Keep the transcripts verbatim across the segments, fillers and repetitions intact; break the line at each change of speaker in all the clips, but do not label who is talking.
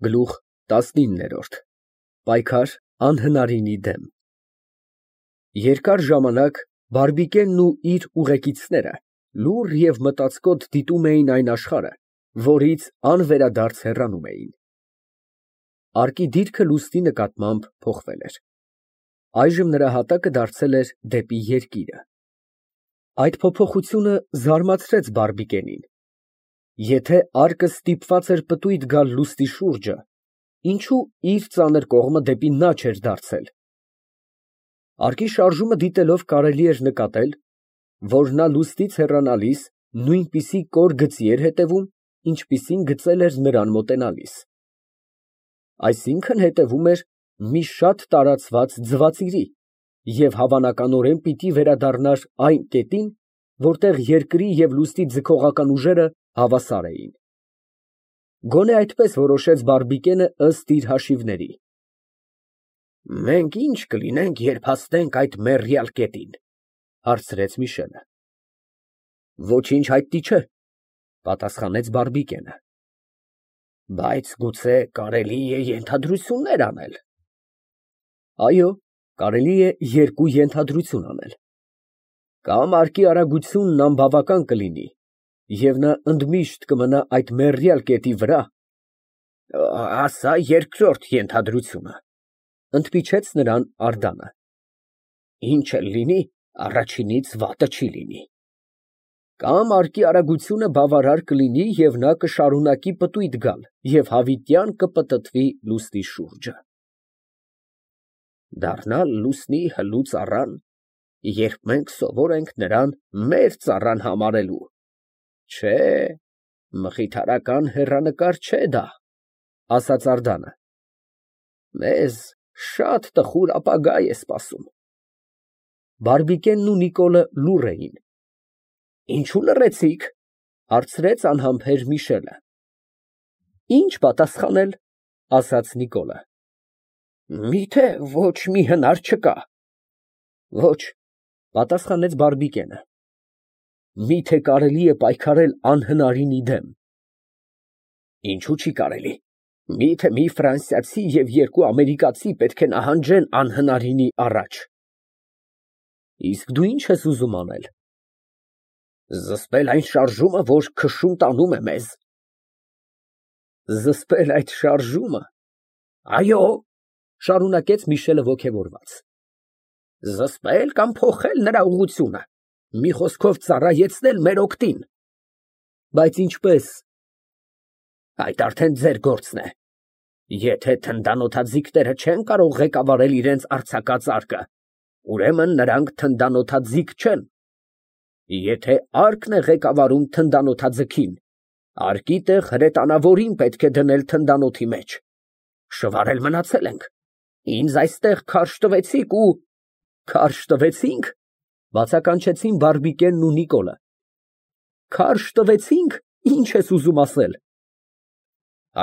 Գլուխ տասնինը Պայքար անհնարինի դեմ Երկար ժամանակ Բարբիկենն ու իր ուղեկիցները լուռ և մտածկոտ դիտում էին այն աշխարհը, որից անվերադարձ հեռանում էին։ Արկի դիրքը լուսնի նկատմամբ փոխվել էր։ Այժմ նրա հատակը դարձել էր դեպի երկիրը։ Այդ փոփոխությունը զարմացրեց Բարբիկենին։ Եթե արկը ստիպված էր պտույտ գալ լուսնի շուրջը, ինչո՞ւ իր ծանր կողմը դեպի նա չէր դարձել։ Արկի շարժումը դիտելով կարելի էր նկատել, որ նա լուսնից հեռանալիս նույնպիսի կոր գծի էր հետևում, ինչպիսին գծել էր նրան մոտենալիս։ Այսինքն հետևում էր մի շատ տարածված ձվածիրի և հավանականորեն պիտի վերադառնար այն կետին, որտեղ երկրի և լուսնի ձգողական ուժերը հավասար էին։ Գոնե այդպես որոշեց Բարբիկենը ըստ իր հաշիվների։ «Մենք ի՞նչ կլինենք, երբ հասնենք այդ մեռյալ կետին, ֊ հարցրեց Միշելը։ ֊ Ոչինչ հայտնի չէ, ֊ պատասխանեց Բարբիկենը։ ֊ Բայց գուցե կարելի է ենթադրություններ անել։ ֊ Այո, կարելի է երկու ենթադրություն անել. կամ արկի արագությունն անբավական կլինի, և նա ընդմիշտ կմնա այդ մեռյալ կետի վրա, ֊ ասա երկրորդ ենթադրությունը, ֊ ընդմիջեց նրան Անդանը։ ֊ Ինչ էլ լինի, առաջինից վատը չի լինի։ ֊ Կամ արկի արագությունը բավարար կլինի և նա կշարունակի պտույտ գալ և հավիտյան կպտտվի լուսնի շուրջը։ Դառնալ լուսնի հլու ծառան, երբ մենք սովոր ենք նրան մեր ծառան համարելու, չէ, մխիթարական հեռանկար չէ դա, ֊ ասաց Անդանը։ Մեզ շատ տխուր ապագա է սպասում։ Բարբիկենն ու Նիկոլը լուռ էին։ ֊ Ինչո՞ւ լռեցիք, ֊ հարցրեց անհամբեր Միշելը։ ֊ Ի՞նչ պատասխանել, ֊ ասաց Նիկոլը։ ֊ Մի՞թե ոչ մի հնար չկա։ ֊ Ոչ, ֊ պատասխանեց Բարբիկենը։ ֊ Մի՞թե կարելի է պայքարել անհնարինի դեմ։ ֊ Ինչո՞ւ չի կարելի, մի՞թե մի ֆրանսիացի և երկու ամերիկացի պետք է նահանջեն անհնարինի առաջ։ ֊ Իսկ դու ի՞նչ ես ուզում անել։ ֊ Զսպել այն շարժումը, որ քշում տանում է մեզ։ ֊ Զսպել այդ շարժումը։ ֊ Այո, ֊ շարունակեց Միշելը ոգևորված։ ֊ Զսպել կամ փոխել նրա ուղղությունը, մի խոսքով ծառայեցնել մեր օգտին։ ֊ Բայց ինչպե՞ս։ ֊ Այդ արդեն ձեր գործն է։ Եթե թնդանոթաձիգները չեն կարող ղեկավարել իրենց արձակած արկը, ուրեմն նրանք թնդանոթաձիգ չեն։ Եթե արկն է ղեկավարում թնդանոթաձգին, արկի տեղ հրետանավորին պետք է դնել թնդանոթի մեջ։ Շվարել մնացել ենք, ինձ այստեղ քարշ տվեցիք ու… ֊ Քարշ տվեցի՞նք, ֊ բացականչեցին Բարբիկենն ու Նիկոլը։ ֊ Քարշ տվեցի՞նք, ի՞նչ ես ուզում ասել։ ֊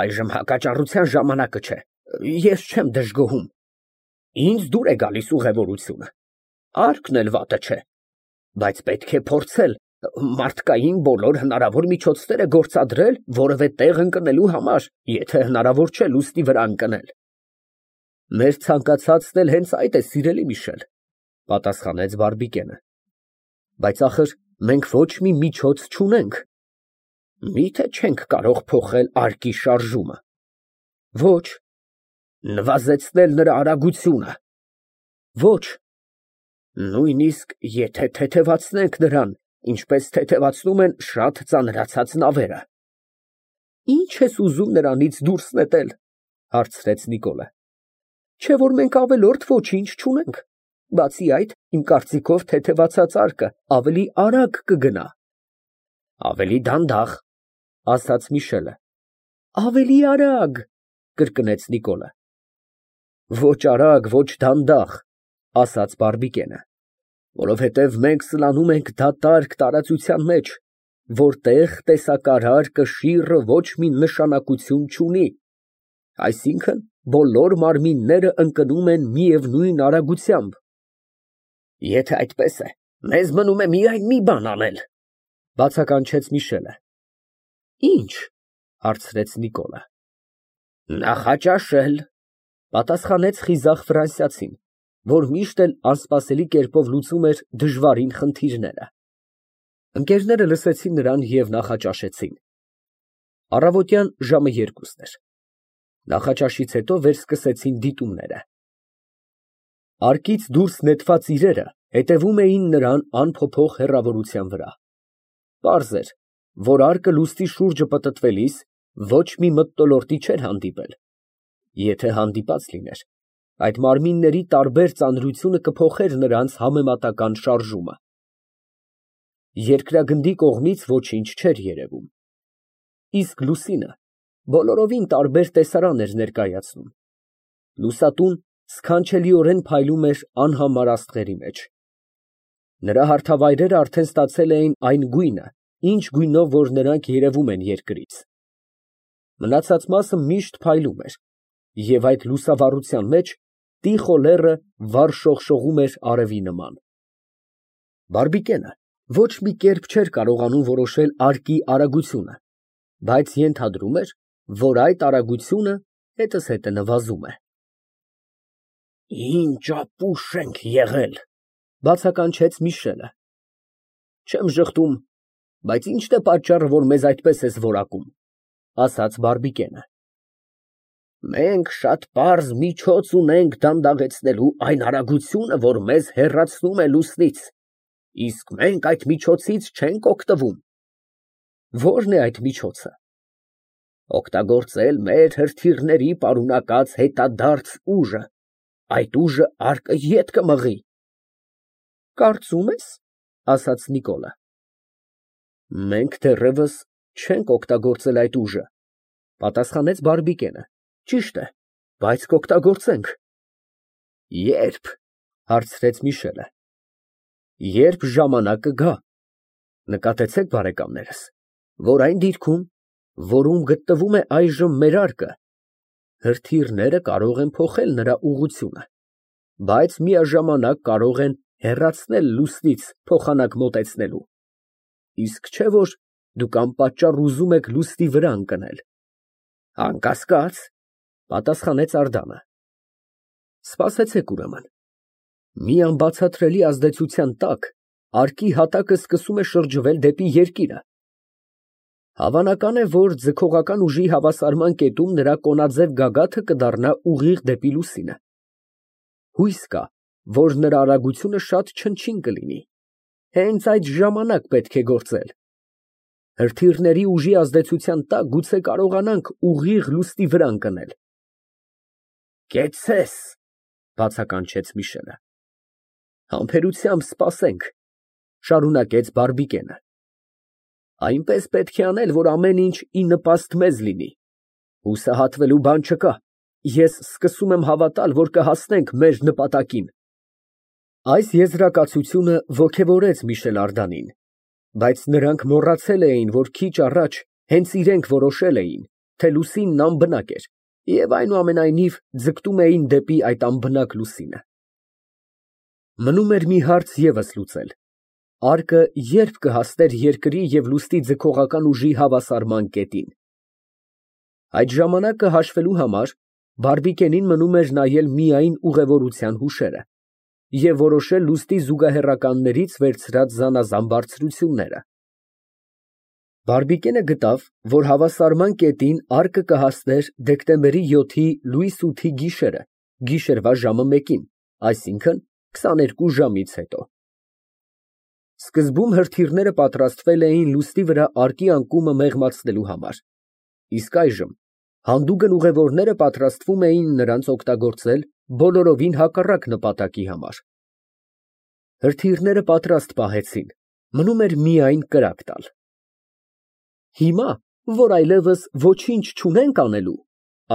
Այժմ հակաճառության ժամանակը չէ, ես չեմ դժգոհում։ Ինձ դուր է գալիս ուղևորությունը, արկն էլ վատը չէ, բայց պետք է փորձել մարդկային բոլոր հնարավոր միջոցները գործադրել որևէ տեղ ընկնելու համար, եթե հնարավոր չէ լուսնի վրա ընկնել։ ֊ Մեր ցանկացածն էլ հենց այդ է, սիրելի Միշել, ֊ պատասխանեց Բարբիկենը։ ֊ Բայց ախր մենք ոչ մի միջոց չունենք։ ֊ Մի՞թե չենք կարող փոխել արկի շարժումը։ ֊ Ոչ։ ֊ Նվազեցնել նրա արագությունը։ ֊ Ոչ։ ֊ Նույնիսկ եթե թեթևացնենք նրան, ինչպես թեթևացնում են շատ ծանրացած նավերը։ ֊ Ի՞նչ ես ուզում նրանից դուրս նետել, ֊ հարցրեց Նիկոլը։ ֊ Չէ՞ որ մենք ավելորդ ոչինչ չունենք, բացի այդ, իմ կարծիքով, թեթևացած արկը ավելի արագ կգնա։ ֊ Ավելի դանդաղ, ֊ ասաց Միշելը։ ֊ Ավելի արագ, ֊ կրկնեց Նիկոլը։ ֊ Ոչ արագ, ոչ դանդաղ, ֊ ասաց Բարբիկենը, ֊ որովհետև մենք սլանում ենք դատարկ տարածության մեջ, որտեղ տեսակարար կշիռը ոչ մի նշանակություն չունի, այսինքն՝ բոլոր մարմինները ընկնում են միևնույն արագությամբ։ ֊ Եթե այդպես է, մեզ մնում է միայն մի բան անել, ֊ բացականչեց Միշելը։ ֊ Ի՞նչ, ֊ հարցրեց Նիկոլը։ Նախաճաշել, պատասխանեց խիզախ ֆրանսիացին, որ միշտ էլ անսպասելի կերպով լուծում էր դժվարին խնդիրները։ Ընկերները լսեցին նրան և նախաճաշեցին։ Առավոտյան ժամը երկուսն էր։ Նախաճաշից հետո վերսկսեցին դիտումները։ Արկից դուրս նետված իրերը հետևում էին նրան անփոփոխ հեռավորության վրա։ Պարզ էր, որ արկը լուստի շուրջը պտտվելիս ոչ մի մթնոլորտի չէր հանդիպել։ Եթե հանդիպած լիներ, այդ մարմինների տարբեր ծանրությունը կփոխեր նրանց համեմատական շարժումը։ Երկրագնդի կողմից ոչինչ չէր երևում, իսկ լուսինը բոլորովին տարբեր տեսարան էր ներկայացնում։ Լուսատուն սքանչելիորեն փայլում էր անհամար աստղերի մեջ։ Նրա հարթավայրերը արդեն ստացել էին այն գույնը, ինչ գույնով որ նրանք երևում են երկրից։ Մնացած մասը միշտ փայլում էր, և այդ լուսավառության մեջ տիխո լեռը վառ շողշողում էր արևի նման։ Բարբիկենը ոչ մի կերպ չէր կարողանում որոշել արկի արագությունը, բայց ենթադրում էր, որ այդ արագությունը հետզհետե նվազում է։ Ինչ ապուշ ենք եղել, բացականչեց Միշելը։ Չեմ ժխտում, բայց ի՞նչն է պատճառը, որ մեզ այդպես ես որակում, ասաց Բարբիկենը։ Մենք շատ պարզ միջոց ունենք դանդաղեցնելու այն արագությունը, որ մեզ հեռացնում է լուսնից, իսկ մենք այդ միջոցից չենք օգտվում։ Ո՞րն է այդ միջոցը։ Օգտագործել մեր հրթիռների պարունակած հետադարձ ուժը, այդ ուժը արկը ետ կմղի։ Կարծում ես, ասաց Նիկոլը։ Մենք դեռևս չենք օգտագործել այդ ուժը, պատասխանեց Բարբիկենը։ Ճիշտ է, բայց կօգտագործենք։ Ե՞րբ, հարցրեց Միշելը։ Երբ ժամանակը գա։ Նկատեցեք, բարեկամներս, որ այն դիրքում, որում գտնվում է այժմ մեր արկը, հրթիռները կարող են փոխել նրա ուղղությունը, բայց միաժամանակ կարող են հեռացնել լուսնից փոխանակ մոտեցնելու։ Իսկ չէ՞ որ դուք անպատճառ ուզում եք լուսնի վրա ընկնել։ Անկասկած, պատասխանեց Անդրեասը։ Սպասեցեք ուրեմն։ Մի անբացատրելի ազդեցության տակ արկի հատակը սկսում է շրջվել դեպի երկիրը։ Հավանական է, որ ձգողական ուժի հավասարման կետում նրա կոնաձև գագաթը կդառնա ուղիղ դեպի լուսինը։ Հույս կա, որ նրա արագությունը շատ չնչին կլինի։ Հենց այդ ժամանակ պետք է գործել։ Հրթիռների ուժի ազդեցության տակ գուցե կարողանանք ուղիղ լուսնի վրա ընկնել։ Կեցցես, բացականչեց Միշելը։ Համբերությամբ սպասենք, շարունակեց Բարբիկենը։ Այնպես պետք է անել, որ ամեն ինչ ի նպաստ մեզ լինի։ Հուսահատվելու բան չկա։ Ես սկսում եմ հավատալ, որ կհասնենք մեր նպատակին։ Այս եզրակացությունը ոգևորեց Միշել Անդրանին, բայց նրանք մոռացել էին, որ քիչ առաջ հենց իրենք որոշել էին, թե լուսինն անբնակ էր, և այնուամենայնիվ ձգտում էին դեպի այդ անբնակ լուսինը։ Մնում էր մի հարց ևս լուծել. արկը ե՞րբ կհասներ երկրի և լուսնի ձգողական ուժի հավասարման կետին։ Այդ ժամանակը հաշվելու համար Բարբիկենին մնում էր նայել միայն ուղևորության հուշերը և որոշել լուսնի զուգահեռականներից վերցրած զանազան բարձրությունները։ Բարբիկենը գտավ, որ հավասարման կետին արկը կհասներ դեկտեմբերի յոթի լույս ութի գիշերը, գիշերվա ժամը մեկին, այսինքն քսաներկու ժամից հետո։ Սկզբում հրթիռները պատրաստվել էին լուսնի վրա արկի անկումը մեղմացնելու համար, իսկ այժմ հանդուգն ուղևորները պատրաստվում էին նրանց օգտագործել բոլորովին հակառակ նպատակի համար։ Հրթիռները պատրաստ պահեցին, մնում էր միայն կրակ տալ։ Հիմա, որ այլևս ոչինչ չունենք անելու,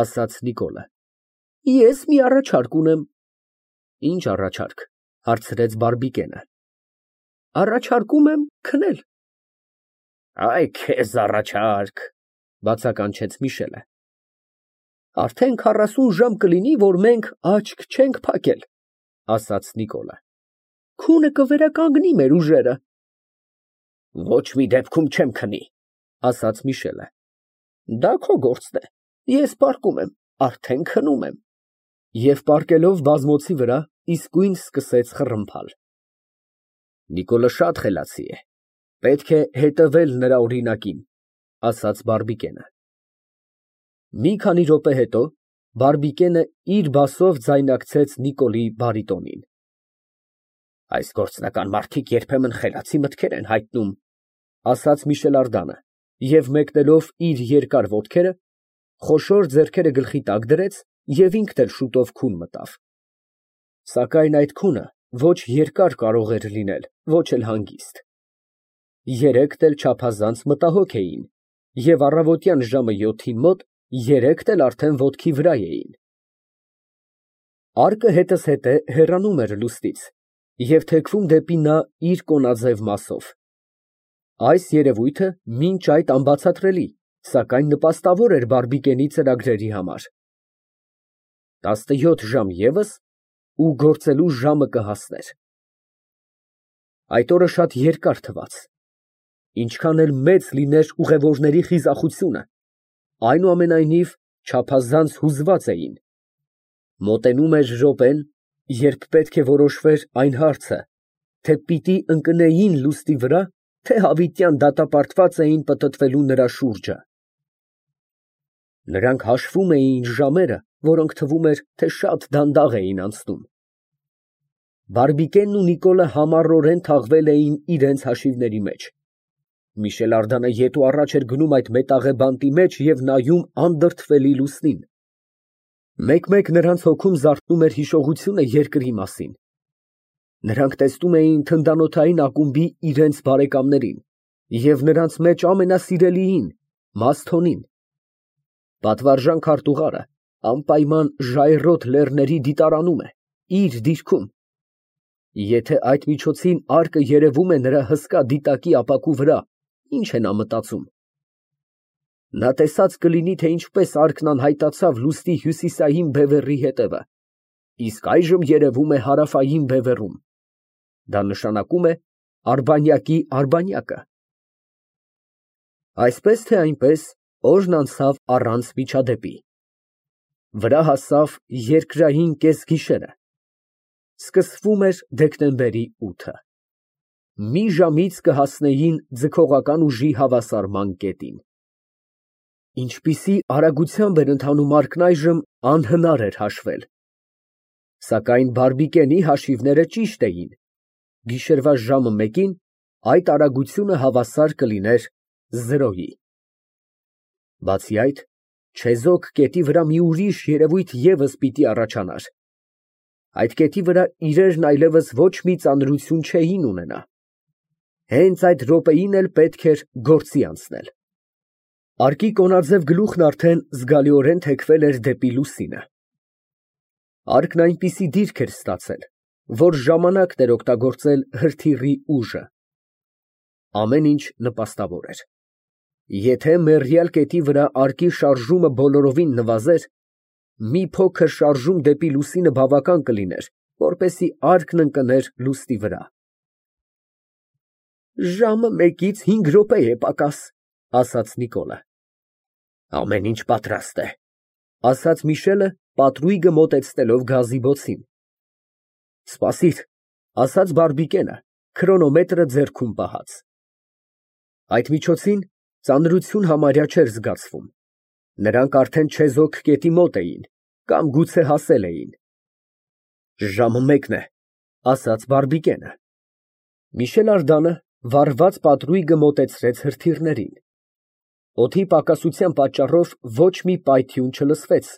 ասաց Նիկոլը, ես մի առաջարկ ունեմ։ Ինչ առաջարկ, հարցրեց Բարբիկենը։ Առաջարկում եմ քնել։ Այ քեզ առաջարկ, բացականչեց Միշելը։ Արդեն քառասուն ժամ կլինի, որ մենք աչք չենք փակել, ասաց Նիկոլը։ Քունը կվերականգնի մեր ուժերը։ Ոչ մի դեպքում չեմ քնի, ասաց Միշելը։ Դա քո գործն է։ Ես պառկում եմ, արդեն քնում եմ։ Եվ պառկելով բազմոցի վրա, իսկույն սկսեց խռմփալ։ Նիկոլը շատ խելացի է, պետք է հետևել նրա օրինակին, ասաց Բարբիկենը։ Մի քանի րոպե հետո Բարբիկենը իր բասով ձայնարկեց Նիկոլի բարիտոնին։ Այս գործնական մարդիկ երբեմն խելացի մտքեր են հայտնում, ասաց Միշել Ардանը, և մեկնելով իր երկար ոտքերը, խոշոր ձեռքերը գլխի տակ դրեց և ինքն էլ շուտով քուն մտավ։ Սակայն այդ քունը ոչ երկար կարող էր լինել, ոչ էլ հանգիստ։ Երեքն էլ չափազանց մտահոգ էին, և առավոտյան ժամը յոթին մոտ երեքն էլ արդեն ոտքի վրա էին։ Արկը հետզհետե հեռանում էր լուսնից և թեքվում դեպի նա իր կոնաձև մասով։ Այս երևույթը մինչ այդ անբացատրելի, սակայն նպաստավոր էր Բարբիկենի ծրագրերի համար։ Տասնյոթ ժամ ևս, ու գործելու ժամը կհասներ։ Այդ օրը շատ երկար թվաց։ Ինչքան էլ մեծ լիներ ուղևորների խիզախությունը, այնուամենայնիվ չափազանց հուզված էին։ Մոտենում էր րոպեն, երբ պետք է որոշվեր այն հարցը, թե պիտի ընկնեին լուսնի վրա, թե հավիտյան դատապարտված էին պտտվելու նրա շուրջը։ Նրանք հաշվում էին ժամերը, որոնք թվում էր, թե շատ դանդաղ էին անցնում։ Բարբիկենն ու Նիկոլը համառորեն թաղվել էին իրենց հաշիվների մեջ։ Միշել Ардանը ետ ու առաջ էր գնում այդ մետաղե բանտի մեջ և նայում անդրդվելի լուսնին։ Մեկ֊մեկ նրանց հոգում զարթնում էր հիշողությունը երկրի մասին։ Նրանք տեսնում էին թնդանոթային ակումբի իրենց բարեկամներին և նրանց մեջ ամենասիրելիին՝ Մասթոնին։ Պատվարժան քարտուղարը անպայման ժայռոտ լեռների դիտարանում է, իր դիրքում։ Եթե այդ միջոցին արկը երևում է նրա հսկա դիտակի ապակու վրա, ի՞նչ է նա մտածում։ Նա տեսած կլինի, թե ինչպես արկն անհայտացավ լուսնի հյուսիսային բևեռի հետևը, իսկ այժմ երևում է հարավային բևեռում։ Դա նշանակում է Արբանյակի Արբանյակը։ Այսպես թե այնպես օրն անցավ առանց միջադեպի։ Վրա հասավ երկրային կեսգիշերը։ Սկսվում էր դեկտեմբերի ութը։ Մի ժամից կհասնեին ձգողական ուժի հավասարման կետին։ Ինչպիսի արագությամբ էր ընթանում արկն այժմ, անհնար էր հաշվել։ Սակայն Բարբիկենի հաշիվները ճիշտ էին։ Գիշերվա ժամը մեկին այդ արագությունը հավասար կլիներ զրոյի։ Բացի այդ, չեզոք կետի վրա մի ուրիշ երևույթ ևս պիտի առաջանար։ Այդ կետի վրա իրերն այլևս ոչ մի ծանրություն չէին ունենա։ Հենց այդ րոպեին էլ պետք էր գործի անցնել։ Արկի կոնաձև գլուխն արդեն զգալիորեն թեքվել էր դեպի լուսինը։ Արկն այնպիսի դիրք էր ստացել, որ ժամանակն էր օգտագործել հրթիռի ուժը։ Ամեն ինչ նպաստավոր էր։ Եթե մեռյալ կետի վրա արկի շարժումը բոլորովին նվազեր, մի փոքր շարժում դեպի լուսինը բավական կլիներ, որպեսզի արկն ընկներ լուսնի վրա։ Ժամը մեկից հինգ րոպե է պակաս, ասաց Նիկոլը։ Ամեն ինչ պատրաստ է, ասաց Միշելը, պատրույգը մոտեցնելով գազի բոցին։ Սպասիր, ասաց Բարբիկենը, քրոնոմետրը ձեռքում պահած։ Այդ միջոցին ծանրություն համարյա չէր զգացվում։ Նրանք արդեն չեզոք կետի մոտ էին, կամ գուցե հասել էին։ Ժամը մեկն է, ասաց Բարբիկենը։ Միշել Ардանը վառված պատրույգը մոտեցրեց հրթիռներին։ Օդի պակասության պատճառով ոչ մի պայթյուն չլսվեց,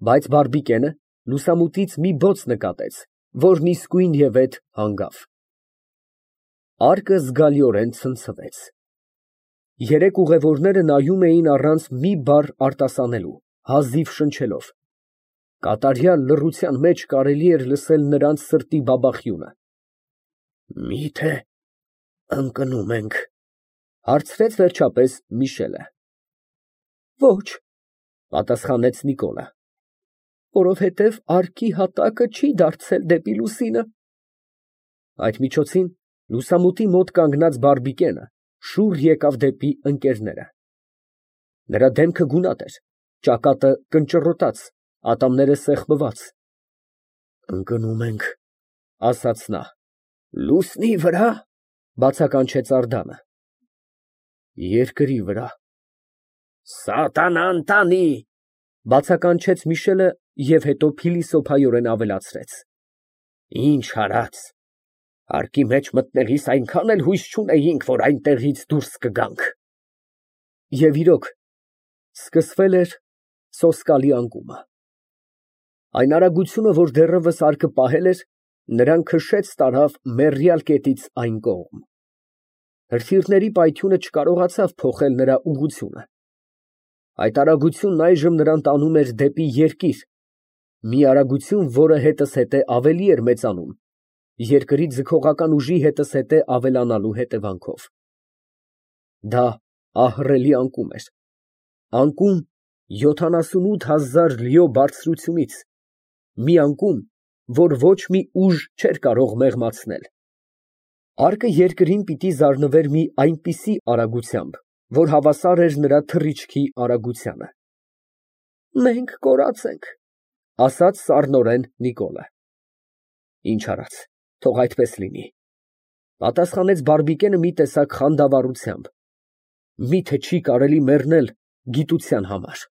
բայց Բարբիկենը լուսամուտից մի բոց նկատեց, որն իսկույնևեթ հանգավ։ Արկը զգալիորեն ցնցվեց։ Երեք ուղևորները նայում էին առանց մի բառ արտասանելու, հազիվ շնչելով։ Կատարյալ լռության մեջ կարելի էր լսել նրանց սրտի բաբախյունը։ Մի՞թե ընկնում ենք, հարցրեց վերջապես Միշելը։ Ոչ, պատասխանեց Նիկոլը, որովհետև արկի հատակը չի դարձել դեպի լուսինը։ Այդ միջոցին լուսամուտի մոտ կանգնած Բարբիկենը շուռ եկավ դեպի ընկերները։ Նրա դեմքը գունատ էր, Ճակատը կնճռոտած, ատամները սեղմված։ Ընկնում ենք, ասաց նա։ Լուսնի վրա, բացականչեց Անդրեասը։ Երկրի վրա։ Սատանան տանի, բացականչեց Միշելը և հետո փիլիսոփայորեն ավելացրեց. Ինչ արած, հարկի մեջ մտնելիս այնքան էլ հույս չունեինք, որ այնտեղից դուրս կգանք։ Եվ իրոք, սկսվել էր սոսկալի անկումը։ Այն արագությունը, որ դեռևս արկը պահել էր, նրան քշեց տարավ մեռյալ կետից այն կողմ։ Հրթիռների պայթյունը չկարողացավ փոխել նրա ուղղությունը։ Այդ արագությունն այժմ նրան տանում էր դեպի երկիր, մի արագություն, որը հետզհետե ավելի էր մեծանում, երկրի ձգողական ուժի հետզհետե ավելանալու հետևանքով։ Դա ահռելի անկում էր, անկում յոթանասունութ հազար լյո բարձրությունից, մի անկում, որ ոչ մի ուժ չէր կարող մեղմացնել։ Արկը երկրին պիտի զարնվեր մի այնպիսի արագությամբ, որ հավասար էր նրա թռիչքի արագությանը։ Մենք կորած ենք, ասաց սառնորեն Նիկոլը։ Ինչ արած, թող այդպես լինի, պատասխանեց բարբիկենը մի տեսակ խանդավառությամբ։ Միթե չի կարելի մեռնել գիտության համար։